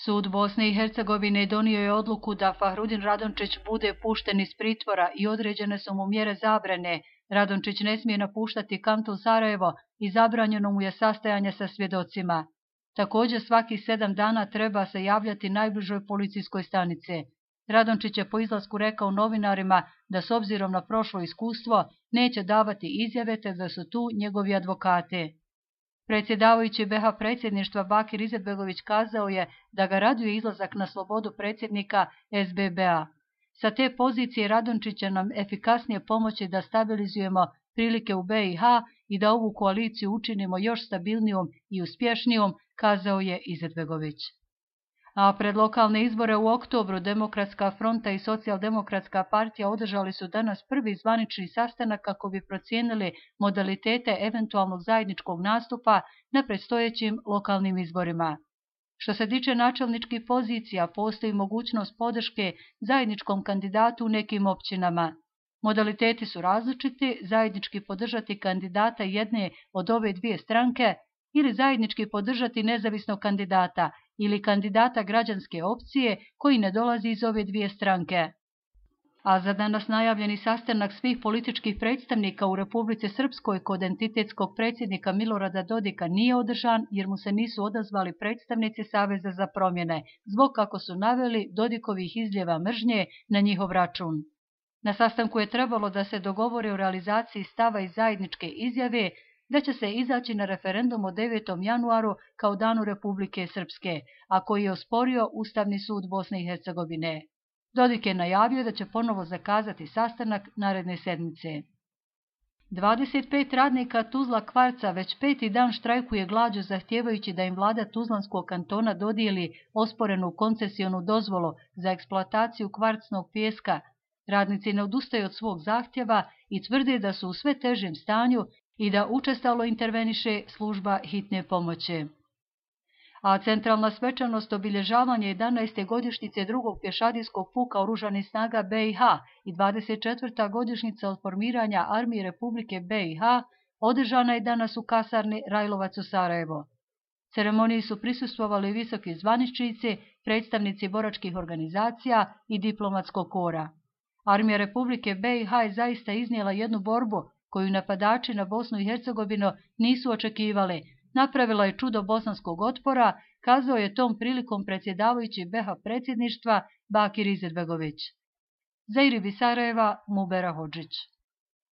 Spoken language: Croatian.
Sud Bosne i Hercegovine donio je odluku da Fahrudin Radončić bude pušten iz pritvora i određene su mu mjere zabrane. Radončić ne smije napuštati kanton Sarajevo i zabranjeno mu je sastajanje sa svjedocima. Također svaki 7 dana treba se javljati najbližoj policijskoj stanici. Radončić je po izlasku rekao novinarima da s obzirom na prošlo iskustvo neće davati izjave te da su tu njegovi advokati. Predsjedavajući BiH predsjedništva Bakir Izetbegović kazao je da ga raduje izlazak na slobodu predsjednika SBB-a. Sa te pozicije Radončić će nam efikasnije pomoći da stabilizujemo prilike u BiH i da ovu koaliciju učinimo još stabilnijom i uspješnijom, kazao je Izetbegović. A pred lokalne izbore u oktobru Demokratska fronta i Socijaldemokratska partija održali su danas prvi zvanični sastanak kako bi procijenili modalitete eventualnog zajedničkog nastupa na predstojećim lokalnim izborima. Što se tiče načelničkih pozicija, postoji mogućnost podrške zajedničkom kandidatu u nekim općinama. Modaliteti su različiti, zajednički podržati kandidata jedne od ove dvije stranke ili zajednički podržati nezavisnog kandidata ili kandidata građanske opcije koji ne dolazi iz ove dvije stranke. A za danas najavljeni sastanak svih političkih predstavnika u Republici Srpskoj kod entitetskog predsjednika Milorada Dodika nije održan jer mu se nisu odazvali predstavnici Saveza za promjene, zbog kako su naveli Dodikovih izljeva mržnje na njihov račun. Na sastanku je trebalo da se dogovore o realizaciji stava iz zajedničke izjave da će se izaći na referendum o 9. januaru kao danu Republike Srpske, a koji je osporio Ustavni sud Bosne i Hercegovine. Dodik je najavio da će ponovo zakazati sastanak naredne sedmice. 25 radnika Tuzla Kvarca već 5. dan štrajkuje glađu zahtijevajući da im vlada Tuzlanskog kantona dodijeli osporenu koncesionu dozvolu za eksploataciju kvarcnog pijeska. Radnici ne odustaju od svog zahtjeva i tvrde da su u sve težem stanju i da učestalo interveniše služba hitne pomoći. A centralna svečanost obilježavanja 11. godišnjice drugog pješadijskog puka oružanih snaga BiH i 24. godišnjica od formiranja Armije Republike BiH održana je danas u kasarni Rajlovac u Sarajevo. Ceremoniji su prisustvovali visoki zvaničnici, predstavnici boračkih organizacija i diplomatskog kora. Armija Republike BiH je zaista iznijela jednu borbu koju napadači na Bosnu i Hercegovinu nisu očekivali. Napravila je čudo bosanskog otpora, kazao je tom prilikom predsjedavajući BiH predsjedništva Bakir Izetbegović. Za IRIB iz Sarajeva, Mubera Hodžić.